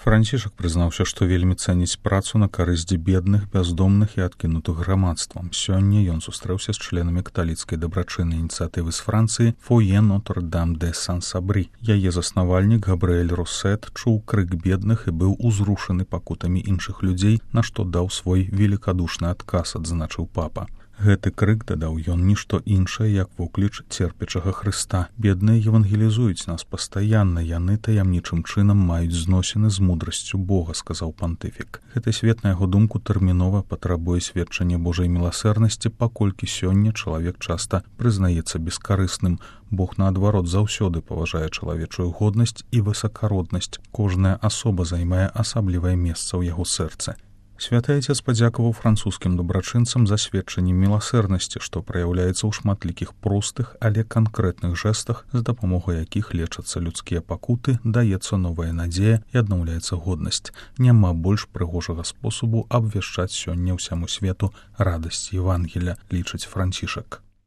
Францішак прызнаўся, што вельмі цэніць працу на карысць бедных, бяздомных і адкінутых грамадствам. Сёння ён сустрэўся з членамі каталіцкай дабрачыннай ініцыятывы з Францыі «Фойе Нотр-Дам де Сан-Сабрі». Яе заснавальнік Габрыэль Росет чуў крык бедных і быў узрушаны пакутамі іншых людзей, на што даў свой великадушны адказ, адзначыў папа. Гэты крык, дадаў ён, нішто іншае, як вокліч церпячага Хрыста. Бедныя евангелізуюць нас пастаянна, яны таямнічым чынам маюць зносіны з мудрасцю Бога, сказаў пантыфік. Гэты свет, на яго думку, тэрмінова патрабуе сведчання Божай міласэрнасці, паколькі сёння чалавек часта прызнаецца бескарысным. Бог, наадварот, заўсёды паважае чалавечую годнасць і высакароднасць. Кожная асоба займае асаблівае месца ў яго сэрцы. Святы Айцец падзякаваў французскім дабрачынцам за сведчанне міласэрнасці, што праяўляецца ў шматлікіх простых, але канкрэтных жэстах, з дапамогай якіх лечацца людскія пакуты, даецца новая надзея і аднаўляецца годнасць. Няма больш прыгожага спосабу абвяшчаць сёння ўсяму свету радасць Евангелля, лічыць Францішак.